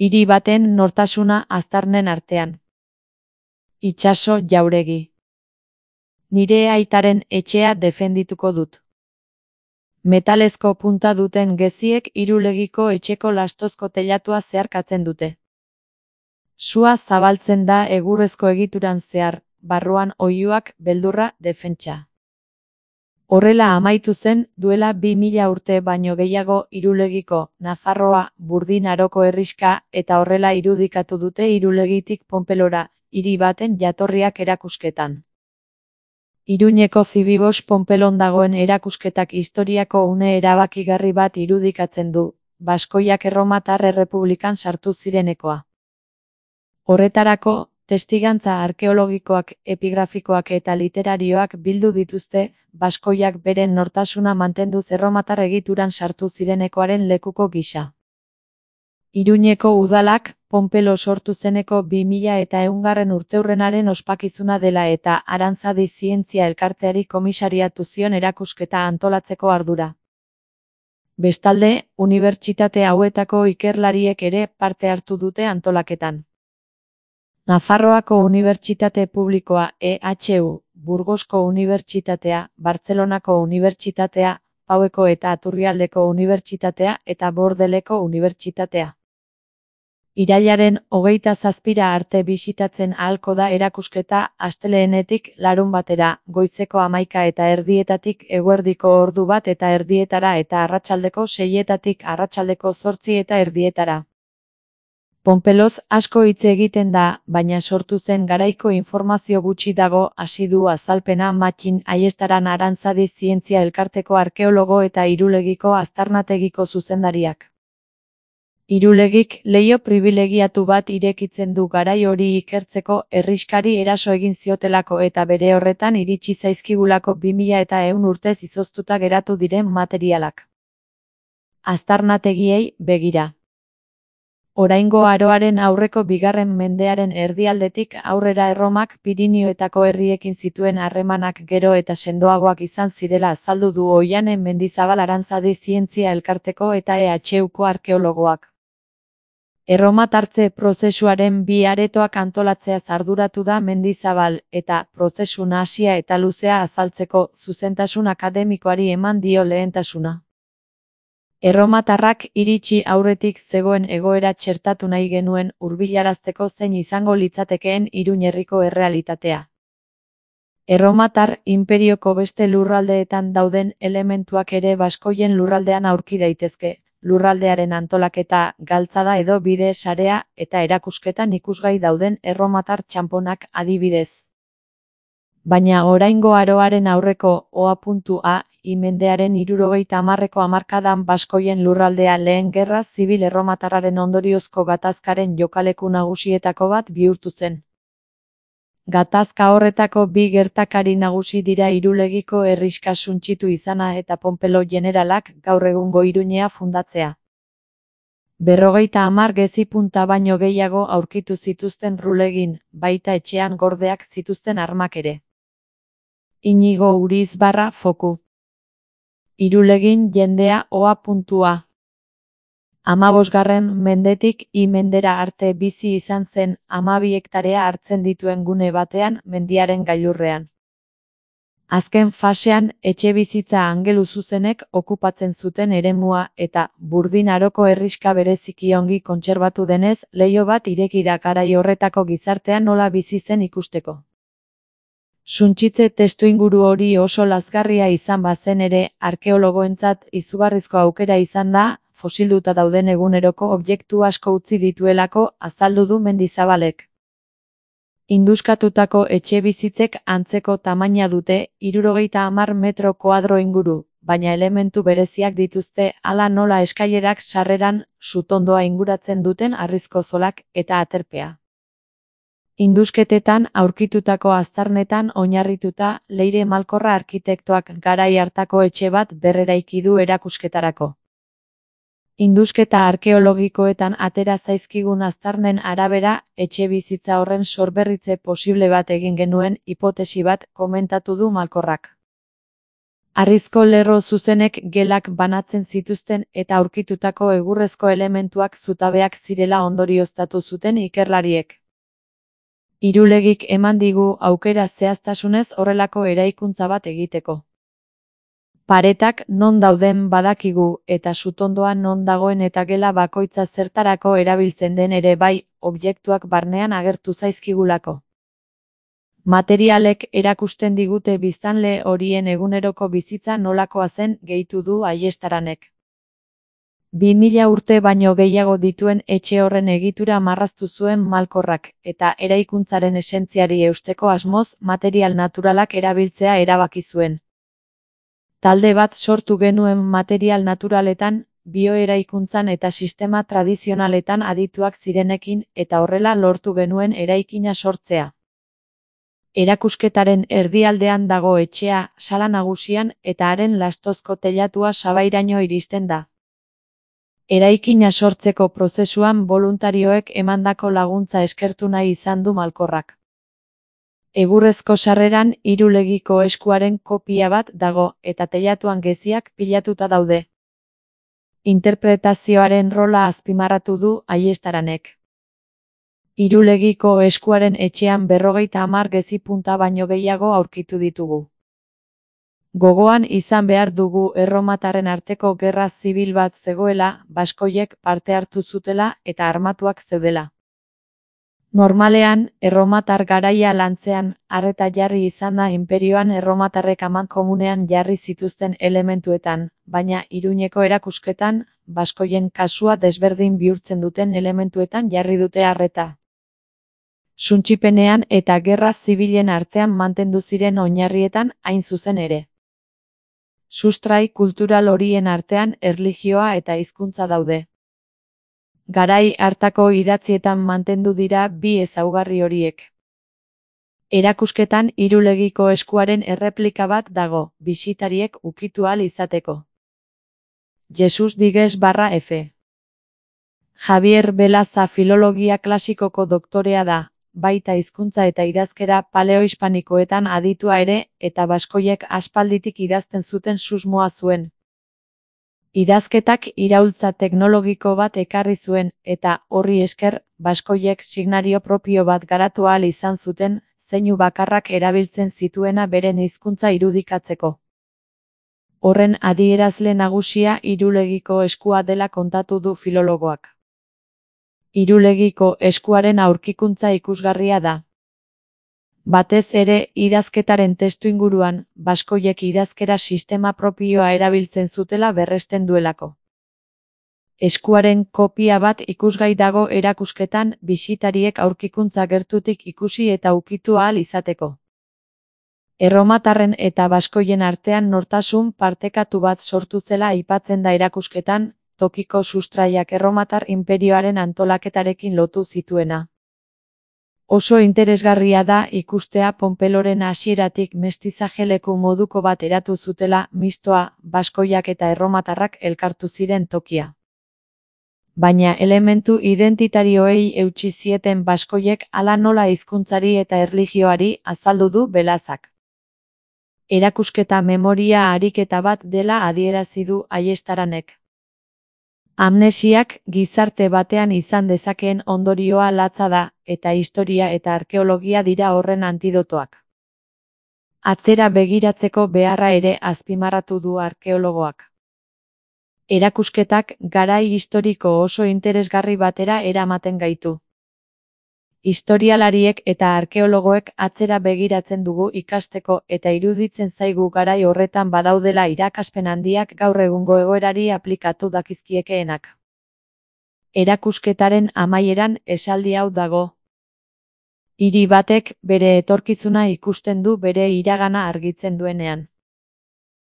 Hiri baten nortasuna aztarnen artean. Itsaso Jauregi. Nire aitaren etxea defendituko dut. Metalezko punta duten geziek Irulegiko etxeko lastozko teilatua zeharkatzen dute. Sua zabaltzen da egurrezko egituran zehar, barruan oihuak, beldurra, defentsa. Horrela amaitu zen, duela 2000 urte baino gehiago Irulegiko, Nafarroa, Burdin Aroko herrixka, eta horrela irudikatu dute Irulegitik Ponpelora, hiri baten jatorriak erakusketan. Iruñeko Zibibos Ponpelon dagoen erakusketak historiako une erabakigarri bat irudikatzen du, baskoiak Erromatar Errepublikan sartu zirenekoa. Horretarako, testigantza arkeologikoak, epigrafikoak eta literarioak bildu dituzte, baskoiak beren nortasuna mantenduz erromatar egituran sartu zirenekoaren lekuko gisa. Iruñeko udalak, Ponpelo sortu zeneko 2100 urteurrenaren ospakizuna dela eta Arantzadi Zientzia Elkarteari komisariatu zion erakusketa antolatzeko ardura. Bestalde, unibertsitate hauetako ikerlariek ere parte hartu dute antolaketan. Nafarroako Unibertsitate Publikoa EHU, Burgosko Unibertsitatea, Bartzelonako Unibertsitatea, Paueko eta Aturrialdeko Unibertsitatea eta Bordeleko Unibertsitatea. Irailaren 27 arte bisitatzen ahalko da erakusketa asteleenetik larunbatera, goizeko 11:30 eguerdiko ordu 1:30 eta arratsaldeko 6:00 arratsaldeko 8:30. Ponpeloz asko hitz egiten da, baina sortu zen garaiko informazio gutxi dago, hasi du azalpena Mattin Aiestaran Arantzadi Zientzia Elkarteko arkeologo eta Irulegiko aztarnategiko zuzendariak. Irulegik leiho pribilegiatu bat irekitzen du garai hori ikertzeko herrixkari eraso egin ziotelako eta bere horretan iritsi zaizkigulako 2100 urtez izoztuta geratu diren materialak. Aztarnategiei begira. Oraingo aroaren aurreko 2. mendearen erdialdetik aurrera Erromak Pirinioetako herriekin zituen harremanak gero eta sendoagoak izan zirela azaldu du Oiane Mendizabal Arantzadi Zientzia Elkarteko eta EHUko arkeologoak. Erromatartze prozesuaren 2 aretoak antolatzeaz arduratu da Mendizabal, eta prozesu nahasia eta luzea azaltzeko zuzentasun akademikoari eman dio lehentasuna. Erromatarrak iritsi aurretik zegoen egoera txertatu nahi genuen hurbilarazteko zein izango litzatekeen Iruñ herriko errealitatea. Erromatar inperioko beste lurraldeetan dauden elementuak ere baskoien lurraldean aurki daitezke, lurraldearen antolaketa, galtzada edo bide sarea eta erakusketan ikusgai dauden erromatar txanponak adibidez. Baina oraingo aroaren aurreko OA.A, mendearen 70ko hamarkadan baskoien lurraldea lehen gerra zibil erromatarraren ondoriozko gatazkaren jokaleku nagusietako bat bihurtu zen. Gatazka horretako 2 gertakari nagusi dira Irulegiko herrixka suntsitu izana eta Ponpelo jeneralak gaur egungo Iruñea fundatzea. 50 gezi punta baino gehiago aurkitu zituzten Rulegin, baita etxean gordeak zituzten armak ere. Inigo Urizbarra Foku. Irulegin jendea OA.A. 15. mendetik mendera arte bizi izan zen 12 hektarea hartzen dituen gune batean mendiaren gailurrean. Azken fasean etxebizitza angeluzuzenek okupatzen zuten eremua eta Burdin Aroko herrixka bereziki ongi kontserbatu denez leiho bat ireki da garai horretako gizartean nola bizi zen ikusteko. Suntsitze testuinguru hori oso lazgarria izan bazen ere, arkeologoentzat izugarrizko aukera izan da, fosilduta dauden eguneroko objektu asko utzi dituelako azaldu du Mendizabalek. Induskatutako etxebizitzek antzeko tamaina dute, 70 metro koadro inguru, baina elementu bereziak dituzte hala nola eskailerak sarreran, sutondoa inguratzen duten harrizko zolak eta aterpea. Indusketetan aurkitutako aztarnetan oinarrituta Leire Malkorra arkitektoak garai hartako etxe bat berreraiki du erakusketarako. Indusketa arkeologikoetan atera zaizkigun aztarnen arabera, etxebizitza horren sorberritze posible bat egin genuen hipotesi bat komentatu du Malkorrak. Harrizko lerro zuzenek gelak banatzen zituzten eta aurkitutako egurrezko elementuak zutabeak zirela ondorioztatu zuten ikerlariek. Irulegik eman digu aukera zehaztasunez horrelako eraikuntza bat egiteko. Paretak non dauden badakigu eta sutondoa non dagoen eta gela bakoitza zertarako erabiltzen den ere bai, objektuak barnean agertu zaizkigulako. Materialek erakusten digute biztanle horien eguneroko bizitza nolakoa zen, gehitu du Aiestaranek. 2000 urte baino gehiago dituen etxe horren egitura marraztu zuen Malkorrak, eta eraikuntzaren esentziari eusteko asmoz material naturalak erabiltzea erabaki zuen. Talde bat sortu genuen material naturaletan, bioeraikuntzan eta sistema tradizionaletan adituak zirenekin eta horrela lortu genuen eraikina sortzea. Erakusketaren erdialdean dago etxea, sala nagusian eta haren lastozko teilatua sabairaino iristen da. Eraikina sortzeko prozesuan boluntarioek emandako laguntza eskertu nahi izan du Malkorrak. Egurrezko sarreran Irulegiko eskuaren kopia bat dago eta teilatuan geziak pilatuta daude. Interpretazioaren rola azpimarratu du Aiestaranek. Irulegiko eskuaren etxean 50 gezi punta baino gehiago aurkitu ditugu. Gogoan izan behar dugu erromatarren arteko gerra zibil bat zegoela, baskoiek parte hartu zutela eta armatuak zeudela. Normalean, erromatar garaia lantzean, arreta jarri izan da inperioan erromatarrek amankomunean jarri zituzten elementuetan, baina Iruñeko erakusketan, baskoien kasua desberdin bihurtzen duten elementuetan jarri dute arreta. Suntsipenean eta gerra zibilen artean mantendu ziren oinarrietan hain zuzen ere. Sustrai kultural horien artean erlijioa eta hizkuntza daude. Garai hartako idatzietan mantendu dira bi ezaugarri horiek. Erakusketan Irulegiko eskuaren erreplika bat dago, bisitariek ukitu ahal izateko. Jesus digues /F. Javier Belaza filologia klasikoko doktorea da, baita hizkuntza eta idazkera paleohispanikoetan aditua ere, eta baskoiek aspalditik idazten zuten susmoa zuen. Idazketak iraultza teknologiko bat ekarri zuen, eta horri esker, baskoiek signario propio bat garatu ahal izan zuten, zeinu bakarrak erabiltzen zituena beren hizkuntza irudikatzeko. Horren adierazle nagusia Irulegiko eskua dela kontatu du filologoak. Irulegiko eskuaren aurkikuntza ikusgarria da. Batez ere, idazketaren testuinguruan, baskoiek idazkera sistema propioa erabiltzen zutela berresten duelako. Eskuaren kopia bat ikusgai dago erakusketan, bisitariek aurkikuntza gertutik ikusi eta ukitu ahal izateko. Erromatarren eta baskoien artean nortasun partekatu bat sortu zela aipatzen da erakusketan, tokiko sustraiak erromatar inperioaren antolaketarekin lotu zituena. Oso interesgarria da ikustea Ponpeloren hasieratik mestizajeleku moduko bat eratu zutela, mistoa, baskoiak eta erromatarrak elkartu ziren tokia. Baina elementu identitarioei eutsi zieten baskoiek hala nola hizkuntzari eta erlijioari azaldu du Belazak. Erakusketa memoria ariketa bat dela adierazi du Aiestaranek. Amnesiak gizarte batean izan dezakeen ondorioa latza da, eta historia eta arkeologia dira horren antidotoak. Atzera begiratzeko beharra ere azpimarratu du arkeologoak. Erakusketak garai historiko oso interesgarri batera eramaten gaitu. Historialariek eta arkeologoek atzera begiratzen dugu ikasteko eta iruditzen zaigu garai horretan badaudela irakaspen handiak gaur egungo egoerari aplikatu dakizkiekeenak. Erakusketaren amaieran esaldi hau dago. Hiri batek bere etorkizuna ikusten du bere iragana argitzen duenean.